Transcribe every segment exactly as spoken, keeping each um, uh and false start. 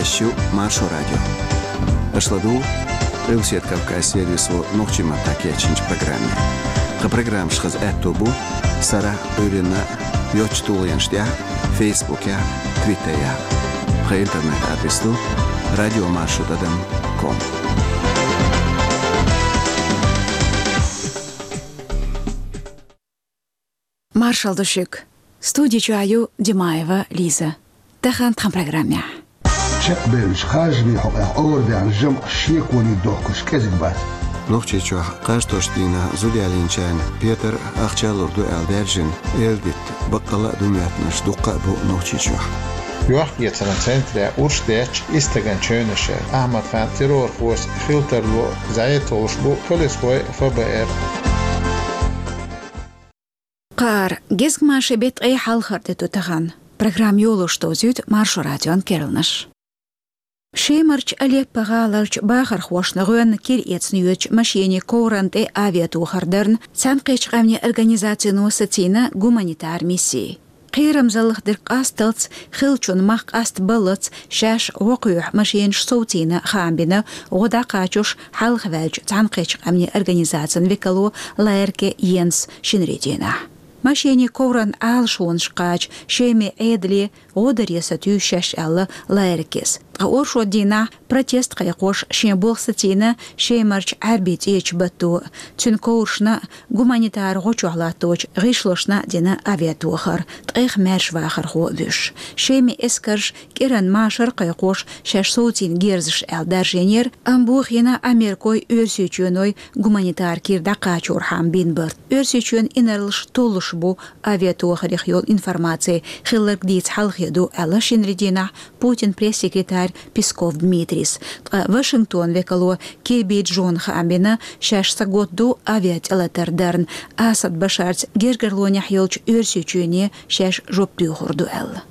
Шу Маршо радио. Аша ладугӀу Къилбаседа Кавказан сервисо нохчийн маттахь кечйинчу программе. Тхан программаш хаза аьтто бу сарахь а, Ӏуьйранна а йоцчу тулгӀенаш тӀехь а, Фейсбукехь а, Твиттерехь а. Тхан интернет-адрес ду радиомаршо тӀадам ком. Маршалла ду шуьга. Студи чохь ю Димаева Лиза. Тахана тхан программехь. Чекхбевллачу харжамийн хьокъехь ора даьхна жамӀаш шеконе дохкуш кӀезиг бац. Нохчийчохь кхаж тосучу дийнахь зуда ялийначарна петар, ахча лур ду аьлла даьржина, эладитта баккъалла а ду моьттинарш дуккха а бу Нохчийчохь. Йохк-эцаран центрехь урс детташ исс стагана чевнаш яра. Ахьмад-Хан террорхоша хила тарло зӀе толлуш бу полисхой а, Ф Б Р. Кхара гезгмашин беттан ткъе хьалхара де ду тахана. Программа йолош довзуьйту Маршо радион керланаш. Шемарчу Алеппо гӀаларчу бахархошна гӀоьнна кира эцна йоьдучу машенийн коврана тӀе авиатохар дарна Цхьаьнакхеттачу Къаьмнийн Организацино сацийна гуманитар мисси. Кхерамзаллах дерг къасталц, хиллачун мах къастабаллалц шаьш гӀо кхоьхьу машенаш совцийна хаам бина гӀо дӀакхачош хьалхаваьллачу Цхьаьнакхеттачу Къаьмнийн Организацин векало Лаерке Йенс шинарин дийнахь. Машенийн ковран Ӏалашонаш кхача Шеман Ӏедале гӀо даре сатуьйсу шаьш аьлла Лаеркес. Ткъа оршот дийнахь протест кхайкхош шен болх сацийна Шемарчу Ӏаьрбийн цӀечу батто. Цуьнан коврашна а, гуманитар гӀо чохь латточу гӀишлошна а дина авиатохар, ткъех маьрша вахархо а вуьйш. Шеман эскарш кӀиранан машар а кхайкхош шаьш совцийна герзаш аьлла даржийнера, амма бохийна Америкой, Оьрсийчоьной гуманитар кира дӀакхачорхьама бина барт. Оьрсийчоьнан инарлаш толлуш бу авиатохарех йолу информаци хилларг дийца хьалхе ду аьлла шинарин дийнахь Путинан пресс-секретарь Песков Дмитрийс. Ткъа Вашингтонан векало Кирби Джона хаам бина, шаьш саготта ду авиатӀелатар дарна, Асад Башарца гергарлонехь йолчу Оьрсийчоьне шаьш жоп доьхур ду аьлла.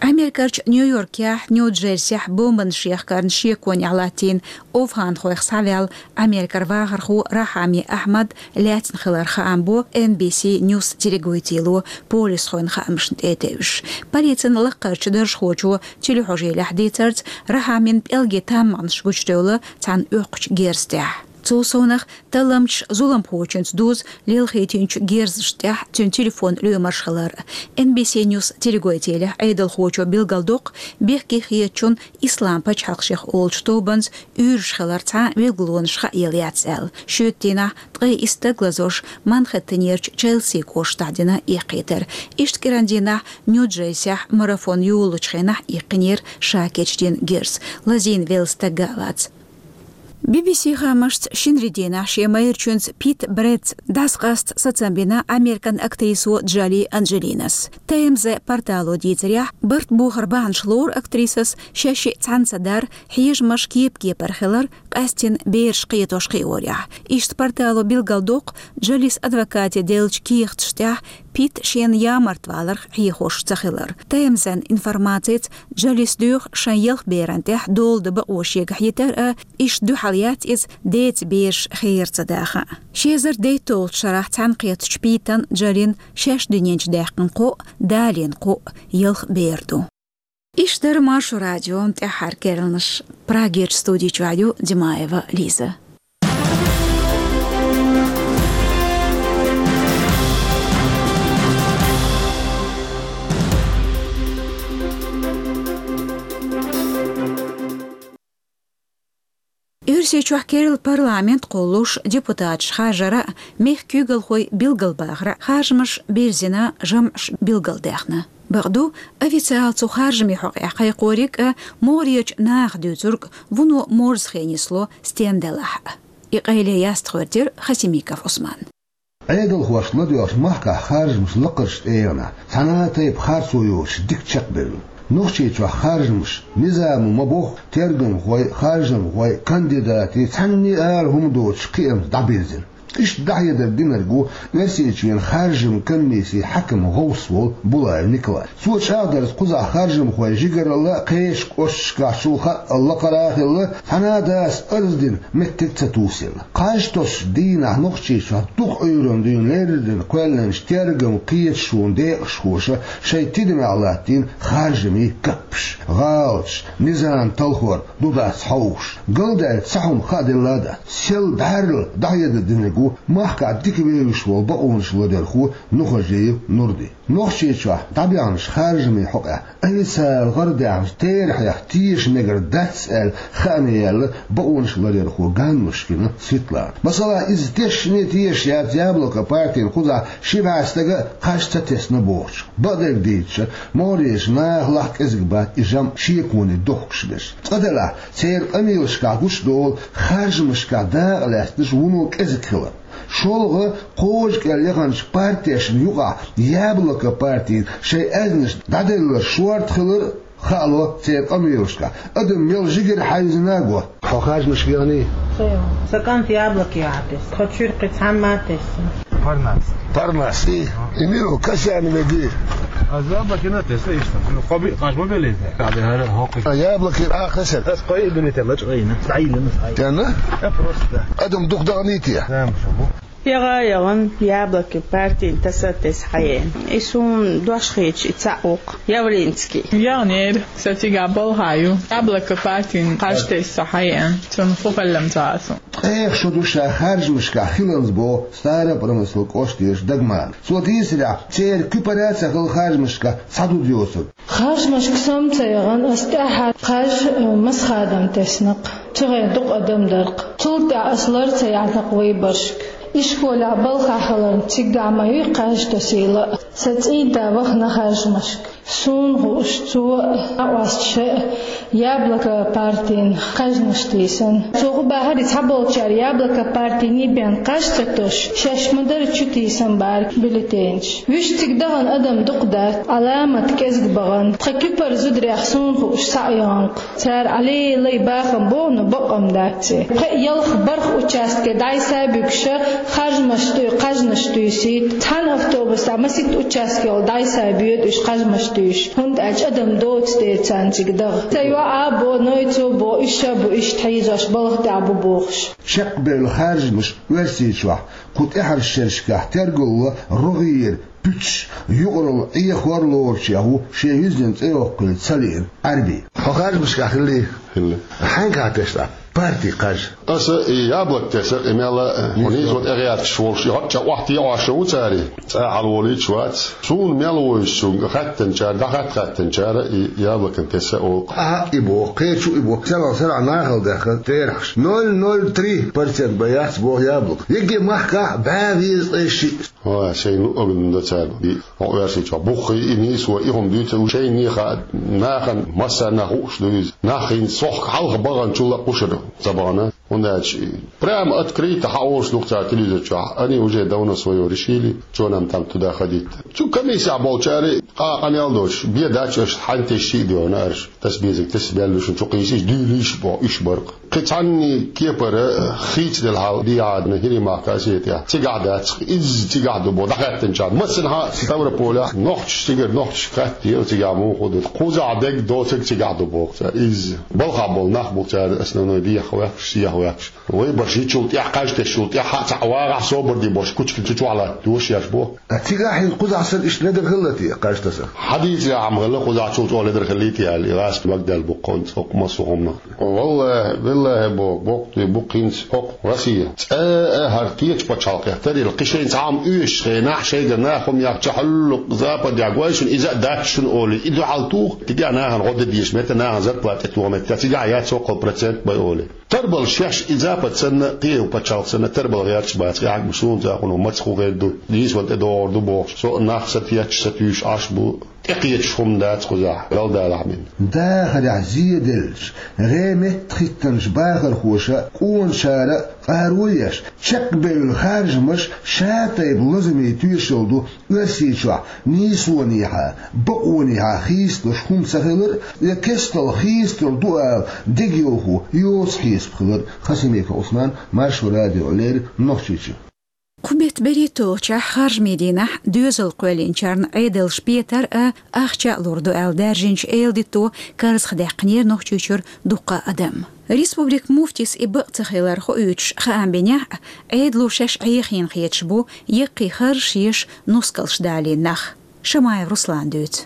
Америкерчу Нью-Йоркехь, Нью-Джерсехь бомбанаш яхкарна шеконехь латтийна овхӀанхойх схьаваьлла Америкера вахархо Рахьами Ахьмад лаьцна хилар хаам бо Н Б С News телегойтийло полисхойн хаамашна тӀе а тевжаш. Полицин лаккхарчу даржхочо телехьожийлехь дийцарца, Рахьамин пӀелгийн таммагӀанаш гучудевлла цхьана оьккхучу герз тӀехь. Цул совнах, талламчаша зуламхочуьнца дуза лелхийтинчу герзаш тӀехь цуьнан телефон лоьмарш хилар. Н Б С News телегойтийлехь Ӏедалхочо билгалдоккху, бехке хетачунна Ислам пачхьалкх шех олучу тобанца уьйраш хилар цхьа а билгалонаш хаъелла яц аьлла. Шоьтан дийнахь ткъе исс стаг лазош Манхэттенерчу Челси кӀоштахь дина эккхийтар. Иштта кӀиран дийнахь Нью-Джерсехь марафон йолалучу хенахь иккхинера ша кечдина герз. Лазийна велла стаг а вац. Би би си хаамашца, шинарин дийнахь шен майрачуьнца Пит Брэдца дӀасакъаста сацам бина Американ актрисо Джоли Анджелинас. Т М З портало дийцарехь, барт бохар бахьанаш лору актрисас шаьш-шиъ цхьаьна ца дар, хьежамаш кеп-кепара хилар, къаьстина бераш кхетош кхиорехь. Иштта портало билгалдоккху, Джолис адвокате деллачу кехаташ тӀехь Пит шена ямарта валарх хьехош ца хилар. Т М З-н информацица, Джолис доьху шайн ялх беран тӀехь дола дан бакъо шега хьитар а, иштта дуьхьал яц иза деца бераш хера ца даха а. Ши эзар дейтталгӀачу шарахь цхьаьнакхеттачу Питан, Джолин шаьш дуьнен чу даьккхина кхоъ, далийна кхоъ ялх бер ду. Иштта дара Маршо радион тӀаьххьара керланаш. Прагерчу студи чохь ю Димаева Лиза. Оьрсийчохь керла парламент кхуллуш, депутаташ харжара а, мехкан куьйгалхой билгалбахара а харжамаш бирзина, жамӀаш билгалдаьхна. Бакъду, официалан цу харжамийн хьокъехь кхайкхориг а, могӀарерчу наха дуьйцург а вуно морзахе нисло стенна делахь а. И къайле ястхуьйр дира Хасимиков Ӏусман. Ӏедалхошка ладоьгӀучу махкахь харжамаш лакхарчу тӀегӀанехь цхьана а тайпа харцо йоцуш дика чекхбевлла. Нохчийчохь харжамаш низамо ма-бохху, тергамхой, харжамхой, кандидатий цхьанне а ала хӀума доцуш кхиамца дӀабирзина. Иштта дӀахьедар динарг ву Оьрсийчоьнан харжаман комиссин хьаькам гӀовс волу Булаев Николай. Цо чӀагӀдарца, кхузахь харжамхойн жигаралла а, кхечу кӀошташкахь чул хаалла лакхара а хилла, цхьана а дас арз дина меттиг ца тусийла. Кхаж тосучу дийнахь Нохчийчохь дукха Ӏуьйранна дуьйна леррина кхоьллинчу тергаман кхеташонан декъашхоша шайн тидамехь латтийна харжамийн каппаш, гӀалаташ, низам талхор ду-дац хьовсуш, галдаьлла цхьа хӀума хаа делла а дац. Сел бӀаьрла дӀахьедар динарг ву махкахь дика вевзаш волу бакъонаш ларъярхо Нухажиев Нурди. Нохчийчохь дӀабаьхначу харжамийн хьокъехь официалан гӀарадаьхначу терахьех теша мегар дац аьлла хаамехь яьлла бакъонаш ларъярхо Ганнушкина Светлана. Масала, иза тешнашна тешаш яц «Яблоко» партина кхузахь ши бӀе стага а кхаж ца тесна бохучух. Бакъдерг дийцича, могӀарерчу нахалахь кӀезиг бац и жамӀ шеконе дохкуш берш. Цкъа делахь, церан къамелашкахь гучудолу харжамашкахь дакъа лаьцнарш вуно кӀезиг хилар. ШолгӀа, кхажа кӀел яханчу партешна юкъахь «Яблоко» партина шайн аьзнаш дӀаделларш шорта хилар а хаало церан къамелашкахь. Адам мел жигара хьаьвзина а го. Хьо харжамашка яхний? Сан кӀант «Яблоко» яхьа тесна. Тхо чуьра кхин цхьамма а тесна. Парнас. Парнас, и? И мила ву, Касьяновеги? Аз «Яблоко» яхьа тесна, иштта. Ну, кхо-биъ кхаж ма беллий те. Аби хӀара хӀокху. А, «Яблоко» а хезира? Ас кхо-биъ дуьне тӀе лачкъийна. ДӀайиллина ас. Яна? Э, просто. Адам дукха даханийти? Зама шу бу. ЯгӀа а яхана, «Яблоко» партина таса а тесна хьаеана. И суна дош хеташ и цхьаъ ву-кх, Явлинский. Яханера, сан цигахь балха ю. «Яблоко» партина кхаж тесна со хьаеана. Цунна хӀун хилла-м ца хаьа суна. Ткъех шо ду ша харжамашкахь хиланза боху Старопромыслан кӀоштан Дагмара. Цо дийцарехь, церан куьпара а ца хилла харжамашкахь цхьа ду доцург. Харжамашка со-м ца яхана, ас тӀаьххьара кхаж, э, Масхадам тесна-кх. Цу хенахь дукха адам дара-кх. Цул тӀаьхьа ас лар ца яьхна-кх выборашка. Ишколехь балхахь хиларна, цигахь ма юй кхаж тосийла а. Сан цӀийнда вахана харжамашка. Суна хууш, цо а, накъосташа а «Яблоко» партина кхаьжнаш тийсина. Цо хӀун бахьара, и цхьаболчара «Яблоко» партиний бен кхаж ца тосуш, шаьш ма-дарра чу тийсина бара бюллетенаш. Вуьш цига дахана адам дукха дац, Ӏаламат кӀезиг бахана. Тхан куьпара зударех, суна хууш, схьа а яхана-кх. Цара Ӏалелай бахам боху, но бакъ-м дац и. Пхеа-ялх-барх участке дӀасабуьгуш, харжамаш туй-, кхаьжнаш туьйсуьйту. Цхьана автобусехь масийтта участке йолу дӀасабоьду уьш кхаьжнаш туьйсуш, хӀунда аьлча адам доцу дела царна цига даха. Сан йоӀа а боху, Нойцо а боху, уьш а бу иштта хьийзош, балха тӀехь бу бохуш. Чекхбевлла харжамаш Оьрсийчохь кху тӀаьхьарчу шерашкахь тергалло рогӀера пуьташ, юкъаралла Ӏехор лоручех ву шен юьззина цӀе йоккхуьйту ца лиъна Ӏаьрби. Хьо харжамашкахь хиллий? Хилла. Хьаьнгахьа тесна партин кхаж? Аса и «Яблоко» тесира, и мел а, хьо нийсо тӀегӀерташ волуш, и хӀоъ чӀа охьатеӀош ву цара, цӀа хьалаволуьйтуш вац. Суна мел вуьйцучуьнга хаьттинчара, дӀахатта хаьттинчара, и «Яблоко» тесира олу-кх. Ахьа и боху, кхечу и боху, царах сарахь нахала даьхна терахьаш. Ноль ноль три процент бен яц боху «Яблоко». Ерриге махкахь бӀе везткъе шиъ. Ой, шайн луъург дан до цара. И хьо Оьрсийчохь буххий, и нийсо, и хӀума дуьйцур ву шайна хаьа, нахана массарна хууш ду иза. Нах хӀинца сохка хьалха баханчул а кхушара ца бахана. ХӀунда аьлча прямо открыто хьаолуш ду-кх цара телевизор чохь. Они уже давно своё решили, чё нам там туда ходить. Цу комиссехь болчара къа-, къамел доцуш, бен дац аша, хьан тесча а доьгӀна аша. Таса безарг таса баьлла шуна, чу кхийсийша, дуьйлийша боху, уьш бара-кх. Кхин цхьанний кепара хийцаделла хьал дӀадахьийна ХӀирийн махка, Осетехь. Цигахь дац-кх, изза цигахь ду боху дӀахаьттинчарна. Массанхьа Ставрополехь, нохчашца цигара нохчашка хаттийла, цигахь муха ду. Кхузахь дерг доцург цигахь ду боху цара. Изза балхахь болу нах бу цара основной дехьа ваьхкаш, сехьа ваьхкаш. Вайбарш йичул тӀаьхьа, кхаж тесчул тӀаьхьа а цхьаъ вагӀахь, собар де бохуш, кучкана цу чохь латтош еш боху. Ткъа цигахь хӀинца кхузахь санна иштта ледар хиллий те кхаж таса? Хьан дийцарехь-м хилла, кхузахь чул чӀогӀа ледар хиллий те аьлла, и гӀазкхи магделла бу-кх хӀинца хӀокху массо а хӀуманах. ВаллахӀи, биллахӀи боху, боккха дуй бу-кх хӀинца хӀокху Россия. ЦӀа а хӀара кхечу пачхьалкхех тарйина, кхин шайна цхьа хӀума оьшучу хенахь, шайгара нахана хӀума яхча, хьуьллукъ Западехь гой шуна, иза а дац шуна олий, и дуьхьал туху, цигахь нахана гӀо дан дезаш метта, нахана зарплата тӀетоха метта, цигахь яц хӀокхул процент бай олий. Тарбала шаьш и Запад санна, кхин пачхьалкх санна, тарбала гӀерташ бац, и хьаьгмаш суна цӀа хӀун, маца хӀун хир ду, дийсван тӀедогӀур ду бохуш, со а нах сатеташ, сатуьйсуш Ӏаш бу, тӀекхеташ хӀума дац кхузахь, галдалахь мина. Дахарехь зеделлачу, гӀе меттахӀиттинчу бахархоша, къоначара а къаро еш, чекхбевлла харжамаш ша тайпа лазаме тоьшалла ду Оьрсийчохь нийсонехьа, бакъонехьа хийцалуш хӀума ца хилар а, я кестал хийцалур ду ала дегайовхо йоцу хьесап хилар а. Хасимиков Ӏусман, Маршо радиона леррина, Нохчийчоь. Кху бетта берхӀитталгӀачохь харжамийн дийнахь доьзал кхоьллинчарна Ӏедалша петар а, ахча а лур ду аьлла даьржинчу эладитано карзахдаьккхинера Нохчийчуьра дуккха а адам. Республикан муфтис и бакъ ца хилар хоуьйтуш хаам бинехь а, Ӏедало шаьш Ӏехийна хеташ бу яккхий харжаш еш нускалш далийна нах. Шамаев Руслана дуьйцу.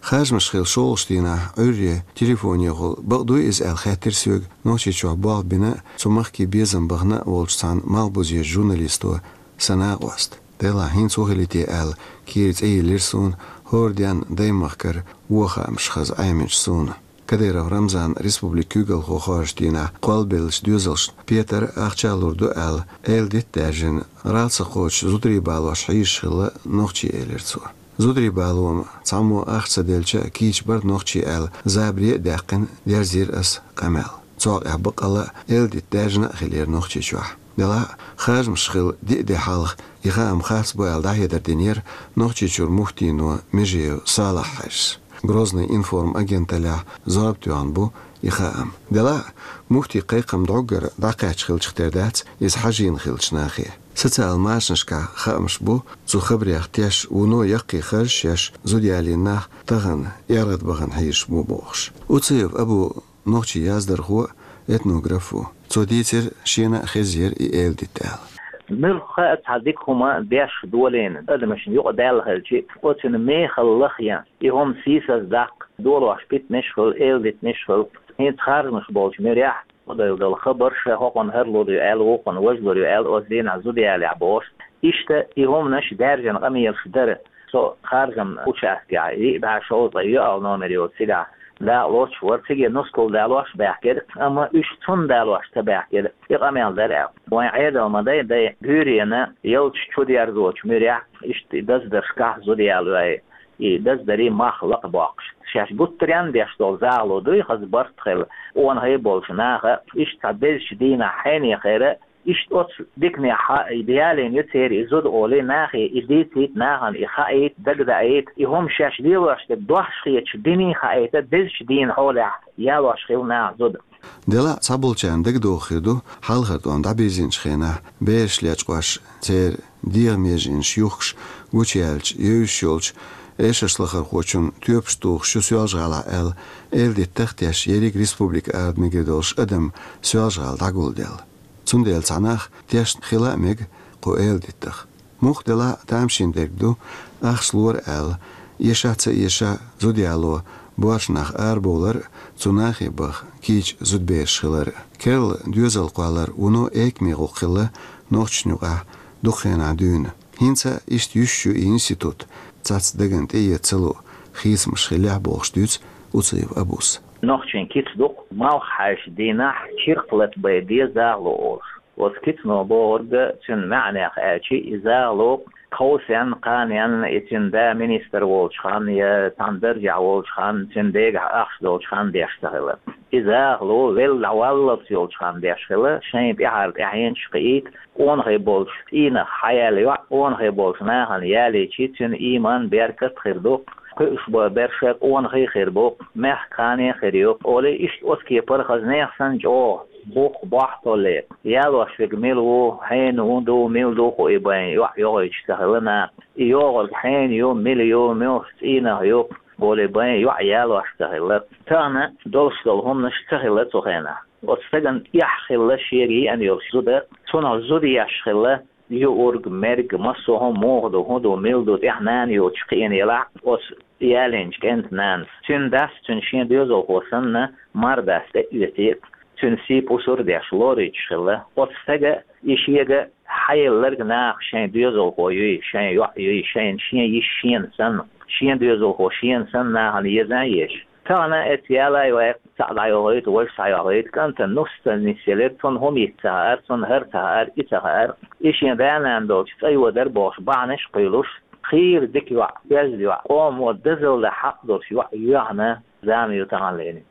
Харжамаш хилла шолгӀачу дийнахь Ӏуьйрре телефонехула бакъ дуй иза аьлла хаьттира соьга Нохчийчохь болх бина а, цу махке безам бахана а волчу цхьана малхбузерчу журналисто сан накъост. Делахь, хӀинца ву хилийта аьлла, кийра цӀе йиллира суна, хӀора денна даймахкара вон хаамаш хаза Ӏеминчу суна. Кадыров Рамзан республикан куьйгалхо хоржучу дийнахь кхоллабеллачу доьзалшна петар а, ахча а лур ду аьлла, эладита даьржина, гӀалгӀай ца кхочу зударий балош хьийзаш хилла нохчий, элира цо. Зударий бало-м цхьаммо ахча ца делча а кийча бара нохчий аьлла, забаре а даьккхина, дерзийра ас къамел. Цул тӀаьхьа баккъалла а эладита даьржина а хилира Нохчийчохь. Делахь а, харжамаш хилла диъ де хьалха и хаам харц бу аьлла дӀахьедар динера Нохчийчуьра муфтино Межиев Салахь-Хьаьжас. Грозный-Информ агенталлехь зорбатоьхна бу и хаам. Делахь а, муфтин кхайкхам дӀоггара дӀакхаьчна хилча тера дац иза хьажийна хиллачу нахе. Социал машанашкахь хаамаш бу цу хабарех теш, вуно яккхий харжаш еш зуда ялийна нах тахана эргӀадбахана хьийзаш бу бохуш. Уциев Абу нохчийн яздархо а, этнограф а ву. Цо дийцира, шена а хезира и эладита аьлла. Муьлхха а цхьа дика хӀума деш долийна адамашна юкъадаьлла хилча, оцуьнан мехала лахъян, и хӀума сийсаздаккха, долош питанаш а хуьлу, эладитанаш а хуьлу. ХӀинца харжамаш болчу муьрехь, хӀокхуьнан хабарш, хӀокхуьнан хӀара лур ю аьлла, вукхуьнан важа лур ю аьлла, оцу дийнахь зуда ялахь бохуш. Иштта и хӀуманаш даьржина къамелаш дара. Со харжаман участкехь, диъ бӀе шовзткъе йоьалгӀа номер йолчу цигахь дакъа лоцуш вара, цига нускал далош а баьхкира, амма уьш цунна далош ца баьхкира, и къамел дара аьлла. Вайн Ӏедал ма дай, дай буьйренан ялташ чудерзочу муьрехь, иштта и даздаршкахь зуда ялой, и даздарийн мах лакхабоккхуш. Шаьш гуттаренна деш долу захало дуй хаза барт хилла, къонахий болчу наха, иштта цхьа безачу дийнахь хьенехера, иштта оцу диканехь ялийна ю церан и зуда олий, нахе и дийцийта, нахана и хаийта, дагадаийта, и хӀума шаьш лелош дерг дохьуш хеташ диний хаийта, безачу дийнан хьолехь ялош хилла наха зуда. Делахь а, цхьаболчарна дагадогӀу хир ду, хьалхара тӀом дӀабирзинчу хенахь бераш лечкъош, церан дегӀан меженаш юхкуш, гучуяьллачу, евзаш йолчу эшаршлахархочун тоьпаш тухуш ю Соьлжа-ГӀалахь аьлла, эладитанах теш ерриг республикан арабаьхкина долуш адам Соьлжа-ГӀала дӀагулделла. Цундела цхьа нах тешна хила а мега кху эладитанах. Муха делахь а, тамашийна дерг ду, ахча лора аьлла, эша а ца эша а зуда яло боьрша нах арабовлар а, цу нахе баха кийча зудабераш хилар а. Керла доьзал кхоллар вуно экаме гӀуллакх хилла нохчашна юкъахь дукха хенахь дуьйна. ХӀинца а иштта йуьсуш ю и институт, цхьацца дагна тӀеэца ца луу хийцамаш хиллехь, бохуш дуьйцу Уциев Абус. Нохчийн кица ду-кх, малх хьаьжча дийнахь чиркх лата бай де захало олуш. Оцу кицано бохург, цуьнан маьӀнех аьлча, и захало кховсенна, кханенна, и цуьнан да министр волчу ханна я цхьана даржехь волчу ханна, цуьнан дегахь ахча долчу ханна деш ца хилла. И захало велла дӀаваллалц йолчу ханна деш хилла, шайна тӀаьхьара тӀаьхьенаш а кхиийта, къонахий болчу цӀийнах хьаяьлла йоӀ къонахий болчу нахана ялийча, цуьнан ийман, беркат а хир ду, кхуьуш болу берш а къонахий хир бу, мехкан кхане а хир ю, олий, иштта оцу кепара хаза нехан санна чӀогӀа бух, бохь толлий. Ялош верг мила ву, хьенан хӀун ду, мила ду хууш бен йоӀ йогӀуьйтуш ца хилла наха. И йогӀург хьенан ю, мила ю, муьлхачу цӀийнах ю, олий бен йоӀ ялош ца хилла. Тахана долуш долу хӀуманаш ца хилла цу хенахь. Оцу стагана эхь хилла шега еана йолуш зуда, цунах зуда еш хилла, юург, мерг, массо а хӀума муха ду, хӀун ду, мила ду, тӀехь нана йоцуш кхиъна елахь, оцу ялийначу кӀентан нанас. Цуьнан дас, цуьнан шен доьзалхо санна, мардас тӀе а оьций, цуьнан сий пусар а деш, лоруьйтуш хилла. Оцу стага и шега хьаелларг наха шайн доьзалхо юй, шайн йоӀ юй, шайна шен йиша шена санна, шен доьзалхо шена санна нахана еза а езаш. Тахана эцца ялай вай, цхьаъ дӀайохуьйту, важа схьайохуьйту, кӀантана нус ца нисъелира, цунна хӀума йиц ца хаьара, цунна хӀара ца хаьара, и ца хаьара. И шен да-нана долчу цӀа йодар бохуш бахьанаш а кхуьйлуш, хийра дика йоӀ, оьзда йоӀ, къомо дозалла хьакъ долуш йоӀ йоьхна зама ю тахана лерина.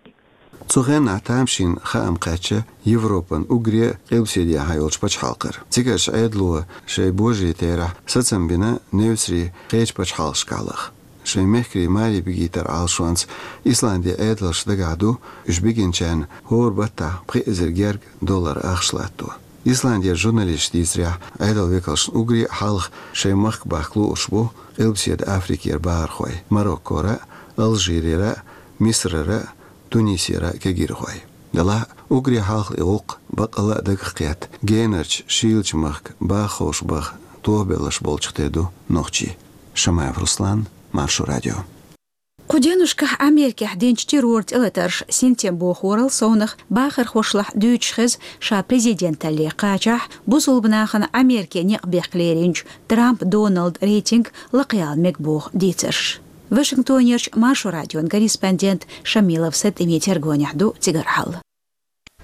Цу хенахь тамашийна хаам кхаьчна Европан уггаре а къилбаседехьа йолчу пачхьалкхара. Цигарчу Ӏедало шайн божарийн терахь сацам бина Невцарий кхечу пачхьалкхашкахь лаха. Шайн мехкарий маре бигийтар Ӏалашонца Исландин Ӏедалша дагахь ду уьш бигинчарна хӀора баттахь пхи эзар герга доллар ахча латто. Исландера журналисташа дийцарехь, Ӏедалан векалшна уггаре а хьалха шайн махка бахка лууш бу Къилбаседа Африкера бахархой: Мароккора, Алжирера, Мисрара, Тунисера кегийрхой. Делахь а уггаре хьалха и гӀуллакх баккъалла а дагах кхетта, генарчу, шийлачу махка баха ховш баха тохабелларш болчух тера ду нохчий. Шамаев Руслан, Маршо радио. Кху деннашкахь Америкехь динчу террор тӀелатарша синтем бохорал совнах бахархошлахь дуьйцуш хеза ша президенталле кхачахь, бусалба нахана Америке некъ бехка леринчу Трамп Доналдан рейтинг лакхаяла мега боху дийцарш. Вашингтонерчу Маршо радион корреспондент Шамилов Сатимин тергонехь ду цигара хьал.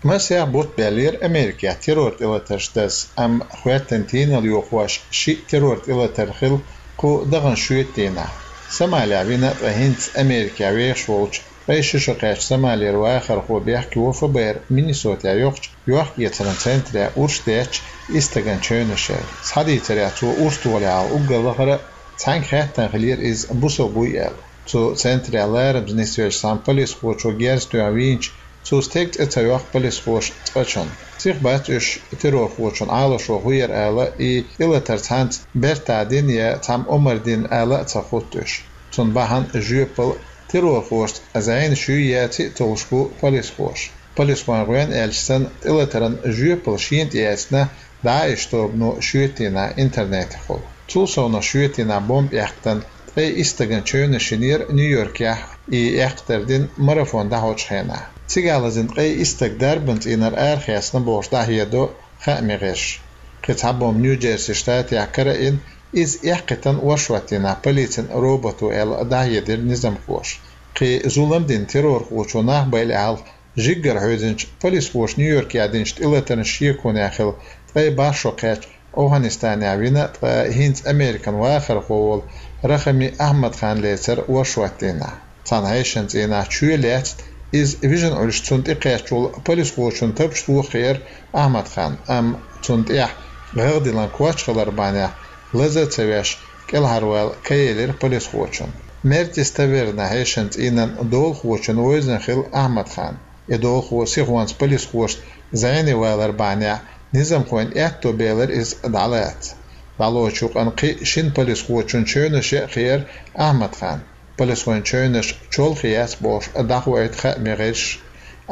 Масех бутт баьллера Америкехь террор тӀелатарш даза, амма хӀоьттина тийналла йохош шиъ террор тӀелатар хилла кху даханчу шоьтан дийнахь. Сомалехь вина, ткъа хӀинца Америкехь вехаш волчу, ткъе ши шо кхаьчна Сомалера вахархо бехке во ФБР Миннесотехь йоккхачу йохк-эцаран центрехь урс детташ исс стагана чевнаш яьлла. Схьадийцарехь, цо урс тохалехь уггар лахара цхьаьнга хаьттина хиллера иза бусалба вуй аьлла. Цу центрехь ларамаза нисвеллачу цхьана полисхочо герз тоьхна вийначу, цу стеган цӀе ца йоккху полисхоша цкъачунна. Сиха бац уьш террорхочун Ӏалашо хӀун яра ала, и тӀелатар цхьаьнца бертахь дина я цхьамма омра дина ала а ца хӀутту уьш. Цунна бахьана жоьпалла террорхошца зӀенаш юй яций а толлуш бу полисхоша. Полисхойн гӀоьнна аьлча санна, тӀелатаран жоьпалла шена тӀеэцна ДАИШ тобано шоьтан дийнахь интернетехула. Цул совнах шоьтан дийнахь бомба эккхийтина ткъе исс стагана чевнаш йинера Нью-Йоркехь, и эккхийтар дина марафон дӀахьочу хенахь. Цигахь лазийна ткъе исс стаг дарбан цӀийнера арахецна бохуш дӀахьедо хаамийн гӀирсаша. Кхин цхьа бомба Нью-Джерси штатехь карайина, иза эккхийтина ворхӀоттийнахь полицин робото аьлла дӀахьедира низамхоша. Кхин зулам дина террорхочо нах байъале хьалха жиггара хьоьзинчу полисхоша Нью-Йоркехь динчу тӀелатаран шеконехь хилла ткъе бархӀ шо кхаьчна Афганистанехь вина, ткъа хӀинца Американ вахархо волу Рахами Ахьмад-хан лецира ворхӀоттийнахь. Цхьана хьешан цӀийнахь чоь лаьцна, иза вижина Ӏуьллуш цунна тӀекхаьчна волу полисхочун тапча тоха хиира Ахьмад-ханна, амма цунна тӀехь гӀагӀ диллина коч хилар бахьанехь лаза а ца веш, кӀелхьарвала ка елира полисхочунна. Мертис Таверна хьешан цӀийнан долахочун вевзина хилла Ахьмад-хан. И долахо сихонца полисхошца зӀене валар бахьанехь низамхойн аьтто белира иза дӀалаца. ДӀалоцучу юкъана кхин а шина полисхочун чевнаш яа хиира Ахьмад-ханна. Полисхойн чевнаш чолхе яц бохуш дӀахоуьйту хаамийн гӀирсаша.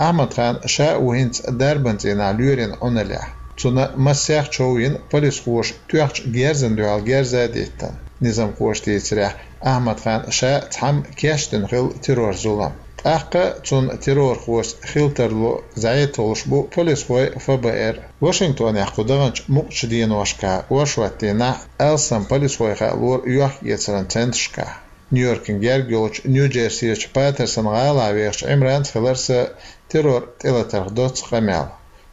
Ахьмад-хан ша а ву хӀинца дарбан цӀийнахь лоьрийн Ӏуналлехь. Цунна массех чов йина, полисхоша тоьхначу герзана дуьхьал герз а диттина. Низамхоша дийцарехь, Ахьмад-хан ша цхьамма кечдина хилла террор-зулам. ТӀаккха цунна террорхошца хила тарло зӀе толлуш бу полисхой, ФБР. Вашингтонехь кху даханчу мукъачу деношкахь ворхӀоттийнахь алсам полисхой хаалора йохк-эцаран центрашкахь. Нью-Йоркана герга йолчу Нью-Джерсерчу Патерсон гӀалахь вехачу Ӏимранца хилира сан террор тӀелатарх доцца къамел.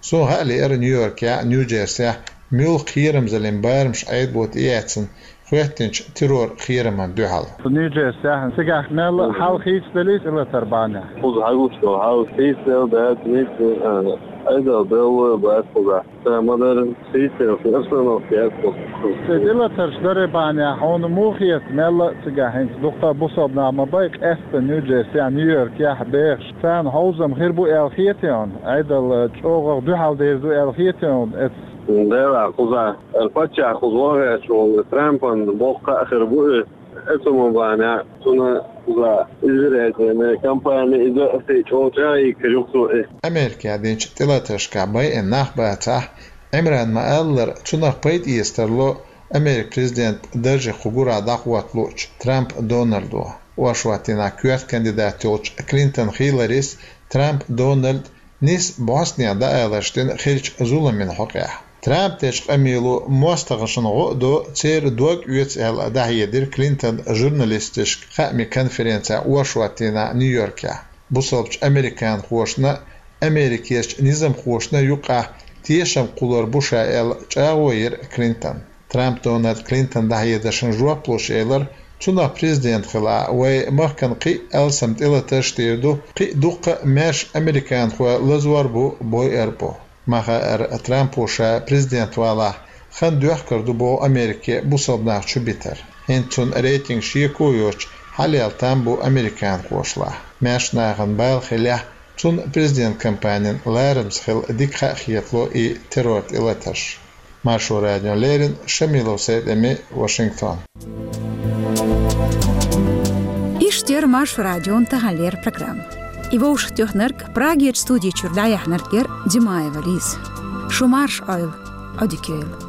Суна хаа лиира Нью-Йоркехь а, Нью-Джерсехь а муьлха кхерамзаллин барамаш Ӏедало тӀеэцна хӀоьттинчу террор-кхерамна дуьхьал. Нью-Джерсехь цигахь мелла а хьал хийцаделлий тӀелатар бахьанехь? Кхуза хьагуш долу хьал хийцаделла дац, нийса, а, Ӏедал белла бац кхузахь. Сан ма-дарра, хийцаделла обстановка яц кхуза. Цу тӀелатарш даре бахьанехь хьуна муха хета, мелла а цигахь хӀинца дуккха а бусалба нах ма бай, къаьсттина Нью-Джерсехь, Нью-Йоркехь бехаш, царна хьовзам хир бу аьлла хетий хьуна? Ӏедал чӀогӀа дуьхьал дер ду аьлла хетий хьуна эцу? Делахь кхузахь, паччахь кхуза вогӀуш волу Трампан боккха а хир бу и, эцу ма бахьанехь, цунна кхуза избирательная кампания иза а кхин чӀогӀа чӀагӀйийкхир ю кхуза и. Америкехь динчу тӀелатаршкахь байина нах бацахь, Ӏимрана ма-аллара, цунах пайда эца тарло Американ президентан дарже кху гурахь дӀахӀотта луучу Трамп Дональдо. Оршот дийнахь коьрта кандидат йолчу Клинтон Хилларис Трамп Дональд нисса бӀостанехьа дӀааларш дина хиллачу зуламийн хьокъехь. Трамп дечу къамело мостагӀашна гӀо а до, церан дог оьцу аьлла дӀахьедира Клинтон журналисташка хаамийн конференцехь оршот дийнахь Нью-Йоркехь. Бусалбачу американхошна а, Америкерчу низамхошна а юкъахь тешам кхуллур бу ша аьлла, чӀагӀо йира Клинтон. Трамп Дональда Клинтон дӀахьедаршна жоп луш элира, цунах президент хилахь, вайн махкана кхин а алсам тӀелатарш дийр ду, кхин а дуккха а маьрша американхой лазор бу, бойъур бу. Ма-хаъара, Трампо ша президент валахь, хан доьхкур ду боху Америке бусалба нах чу битар. ХӀинца цуьнан рейтинг шеко йоцуш, хьалъяла там бу американхошлахь. Маьрша нахана бала хилехь, Цунна президент кампанин ларамца хила дика хьахетало и террор тӀелатарш. Маршо радиона леррина Шамилов Сайд-Эми, Вашингтон. Иштта яра Маршо радион таханлера программа. И вовшахтоьхнарг, Прагерчу студи чуьра дӀаяьхьнарг яра Димаева Лиза. Шу марша Ӏойла, Ӏодика йойла.